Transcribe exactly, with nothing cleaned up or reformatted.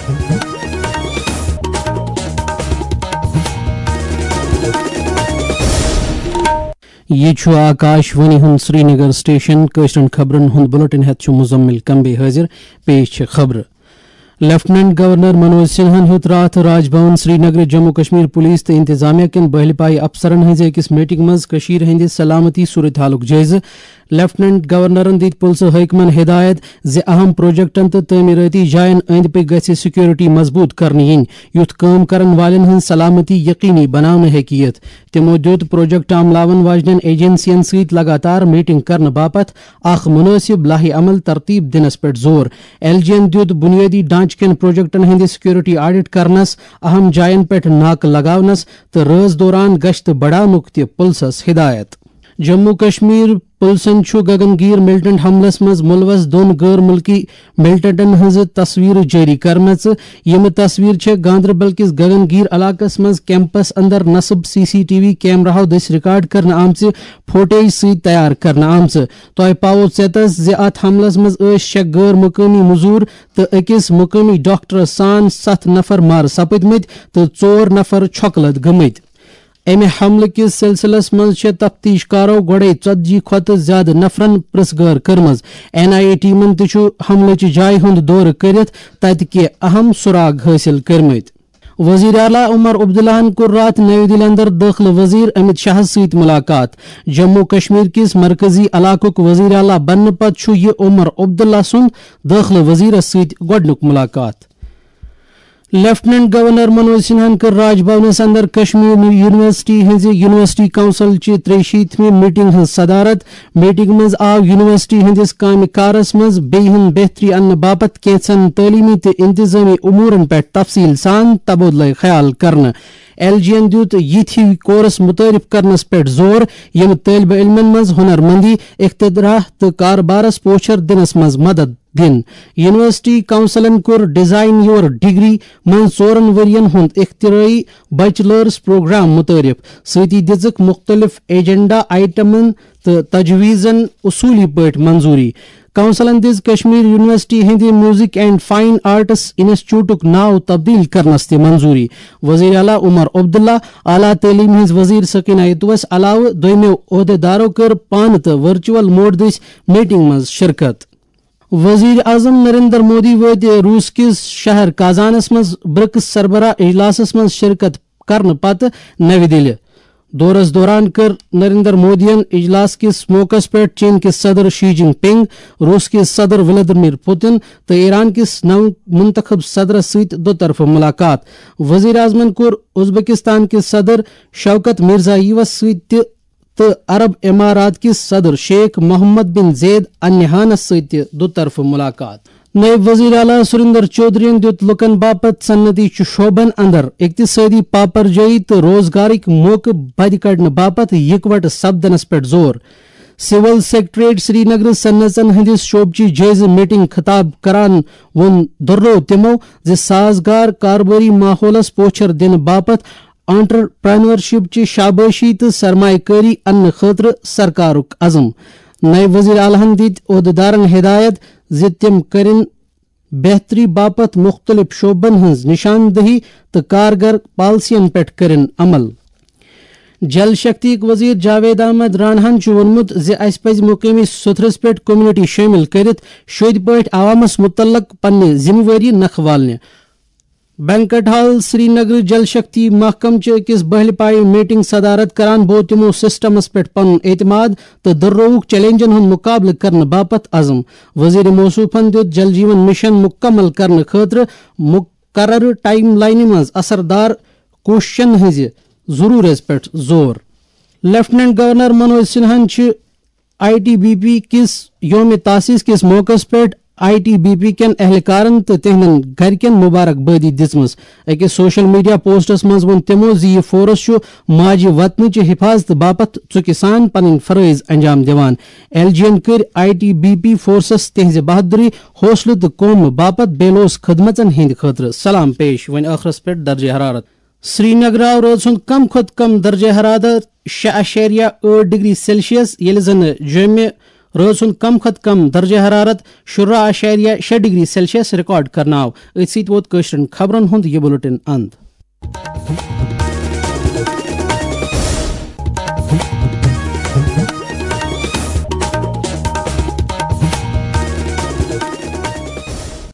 یہِ چھُ آکاش وانی ہُنٛد سرینگر سٹیشن۔ کٲشرٮ۪ن خبرن ہُنٛد بلیٹن ہٮ۪تھ چھُ مزمل کمبے حٲضِر۔ پیش چھِ خبرٕ۔ لیفٹیننٹ گورنر منوج سنہاہن ہیوٚت راتھ راج بھون سرینگر جموں کشمیر پولیس تہٕ انتظامیہ کٮ۪ن بہلہِ پایہِ افسرن ہٕنٛزِ أکِس میٹنگ منٛز کٔشیٖرِ ہٕنٛدِ سلامتی صورت حالُک جٲیزٕ۔ لیفٹیننٹ گورنرن دِتۍ پُلسہٕ حٲکمن ہدایت زِ اہم پروجیکٹن تہٕ تعمیرٲتی جاین أنٛدۍ پٔکۍ گژھِ سیکورٹی مضبوط کرنہٕ یِنۍ، یُتھ کٲم کرن والٮ۪ن ہٕنٛز سلامتی یقینی بناونہٕ ہیٚکہِ یِتھ۔ تِمو دِیُت پروجیکٹ عملاون واجنٮ۪ن ایجنسین سۭتۍ لگاتار میٹنگ کرنہٕ باپتھ اکھ مناسب لائحہ عمل ترتیب دِنس پٮ۪ٹھ زور۔ ایل جی ین دِیُت بنیٲدی ڈھانچہٕ کٮ۪ن پروجیکٹن ہٕنٛدِ سیکورٹی آڈٹ کرنس، اہم جاین پٮ۪ٹھ ناکہٕ لگاونس تہٕ رٲژ دوران گشتہٕ بڑاونُک تہِ پُلسس ہدایت۔ جموں کشمیر پُلسن چھُ گگن گیر ملیٹنٹ حملس منٛز ملوث دۄن غٲر مُلکی ملیٹنٹن ہٕنٛزٕ تصویرٕ جٲری کٔرمٕژ۔ یِم تصویرٕ چھےٚ گاندربل کِس گگن گیر علاقس منٛز کیمپس اندر نصب سی سی ٹی وی کیمراہو دٔسۍ ریکارڈ کرنہٕ آمژِ فوٹیج سۭتۍ تیار کرنہٕ آمژٕ۔ تۄہہِ پاوو ژیتس زِ اتھ حملس منٛز ٲسۍ شےٚ غٲر مقٲمی مزور تہٕ أکِس مقٲمی ڈاکٹرس سان ستھ نفر مارٕ سپٕدمٕتۍ تہٕ ژور نفر چھۄکہٕ لد گٔمٕتۍ۔ امہِ حملہٕ کِس سلسلس منٛز چھےٚ تفتیش کارو گۄڈے ژتجی کھۄتہٕ زیادٕ نفرن پرژھ گٲر کٔرمٕژ۔ این آئی اے ٹیمن تہِ چھُ حملٕچہِ جایہِ ہُنٛد دورٕ کٔرِتھ تتہِ کینٛہہ اہم سراغ حٲصِل کٔرمٕتۍ۔ وزیر اعلیٰ عمر عبداللہن کوٚر راتھ نئی دِلہِ اندر دٲخلہٕ وزیر امت شاہس سۭتۍ ملاقات۔ جموں کشمیر کِس مرکزی علاقُک وزیر اعلیٰ بننہٕ پتہٕ چھُ یہِ عمر عبداللہ سُنٛد دٲخلہٕ وزیرس سۭتۍ گۄڈٕنیُک ملاقات۔ لیفٹیننٹ گورنر منوج سنہاہن کٔر راج بھونس اندر کشمیر یونیورسٹی ہٕنٛزِ یونیورسٹی کونسل چہِ ترٛیہِ شیٖتمہِ میٹنگ ہٕنٛز صدارت۔ میٹنگ منٛز آو یونیورسٹی ہٕنٛدِس کامہِ کارس منٛز بیٚیہِ ہُنٛد بہتری اننہٕ باپتھ کینٛژن تعلیمی تہٕ انتظامی امورن پٮ۪ٹھ تفصیل سان تبادلہٕ خیال کرنہٕ۔ ایل جی ین دِیُت یِتھۍ ہِوۍ کورس متعارف کرنس پٮ۪ٹھ زور، یِم طٲلبہِ علمن منٛز ہنر مندی، اختراع تہٕ کارٕبارس پوچھر دِنس منٛز مدد دِن۔ یونیورسٹی کونسلن کوٚر ڈیزائن یور ڈگری منٛز ژورن ؤرین ہُنٛد اختراعی بیچلرز پروگرام متعارف، سۭتی دِژٕکھ مُختٔلِف ایجنڈا آئٹمن تہٕ تجویزن اصولی پٲٹھۍ منظوری۔ کونسلن دِژ کشمیر یونیورسٹی ہٕنٛدِ میوزک اینڈ فائن آرٹس انسٹیٹیوٹُک ناو تبدیل کرنس تہِ منظوری۔ وزیر اعلیٰ عمر عبداللہ، اعلیٰ تعلیٖم ہٕنٛز وزیر سکینہ اتوس علاوٕ دوٚیمٮ۪و عہدیدارو کٔر پانہٕ تہٕ ورچوئل موڈ دٔسۍ میٹنگ منٛز شرکت۔ وزیر اعظم نریندر مودی وٲتۍ روس کِس شہر کازانس منٛز برکس سربراہ اجلاسس منٛز شرکت کرنہٕ پتہٕ نَوِ دِلہِ۔ دورس دوران کٔر نریندر مودیَن اجلاس کِس موقعس پٮ۪ٹھ چین کِس صدر شی جن پنگ، روس کِس صدر ولادیمیر پوتن تہٕ ایران کِس نو منتخب صدرس سۭتۍ دو طرفہٕ ملاقات۔ وزیر اعظمن کوٚر ازبکستان کِس صدر شوکت میرزاییوس سۭتۍ تہِ تہٕ عرب امارات کِس صدر شیخ محمد بن زید النہیانس سۭتۍ تہِ دو طرفہٕ ملاقات۔ نائب وزیر اعلیٰ سریندر چودھرین دِیُت لوٗکَن باپتھ صنعتی شعبن اندر اقتصٲدی پاپرجٲیی تہٕ روزگارٕک موقعہٕ بدِ کڑنہٕ باپتھ یکوٹہٕ سپدنس پٮ۪ٹھ زور۔ سول سیکرٹریٹ سرینگرٕ صنعژن ہٕنٛدِس شعبہٕ چہِ جٲیزٕ میٹنگ خطاب کران ووٚن، دۄہروو تِمَو زِ سازگار کاربٲری ماحولس پوچھر دِنہٕ باپتھ انٹرپرینورشپ چہِ شابٲشی تہٕ سرمایہ کٲری اننہٕ خٲطرٕ سرکارُک عزم۔ نائب وزیر اعلیٰ ہَن دِتۍ عہدیدارن ہدایت زِ تِم کٔرِن بہتری باپتھ مُختٔلِف شعبن ہٕنٛز نشاندہی تہٕ کارگر پالیسین پٮ۪ٹھ کٔرِن عمل۔ جل شکتی وزیر جاوید احمد راناہن چھُ ووٚنمُت زِ اسہِ پزِ مقٲمی سطحس پٮ۪ٹھ کمیونٹی شٲمِل کٔرِتھ شٔدۍ پٲٹھۍ عوامس مُتعلق پننہِ ذمہٕ وٲری نکھٕ والنہِ۔ بینکٹ ہال سرینگر جل شکتی محکمہٕ چہِ أکِس بہلہِ پایہِ میٹنگ صدارت کران بوو تِمو سسٹمس پٮ۪ٹھ پنُن اعتماد تہٕ دۄہرووُکھ چیلنجن ہُنٛد مقابلہٕ کرنہٕ باپتھ عزم۔ وزیر موصوفن دِیُت جل جیون مشن مکمل کرنہٕ خٲطرٕ مقررٕ ٹائم لائنہِ منٛز اثردار کوٗششن ہٕنٛزِ ضرورتس پٮ۪ٹھ زور۔ لیفٹیننٹ گورنر منوج سنہاہن چھِ آئی ٹی بی پی کِس یوم تاسیس کِس موقعس پٮ۪ٹھ آئی ٹی بی پی کٮ۪ن اہلکارن تہٕ تِہنٛدٮ۪ن گرِکٮ۪ن مبارک بٲدی دِژمٕژ۔ أکِس سوشل میڈیا پوسٹس منٛز ووٚن تِمَو زِ یہِ فورس چھُ ماجہِ وطنٕچہِ حفاظتہٕ باپتھ ژُکہِ سان پنٕنۍ فرٲیض انجام دِوان۔ ایل جی ین کٔرۍ I T B P forces تِہنٛزِ بہادری، حوصلہٕ تہٕ قومہٕ باپتھ بے لوث خدمژن ہٕنٛدِ خٲطرٕ سلام پیش۔ وۄنۍ ٲخرس پٮ۪ٹھ درجہ حرارت۔ سرینگر آو رٲژ ہُنٛد کم کھۄتہٕ کم درجہ حرارت شےٚ اعشاریہ ٲٹھ ڈگری سیلسیس، ییٚلہِ زن جوٚمہِ رٲژ ہُنٛد کم کھۄتہٕ کم درجہ حرارت شُراہ اعشاریہ شےٚ ڈگری سیلسیس ریکارڈ کرنہٕ آو۔ أتھۍ سۭتۍ ووت کٲشرٮ۪ن خبرن ہُنٛد یہِ بُلٹن اند۔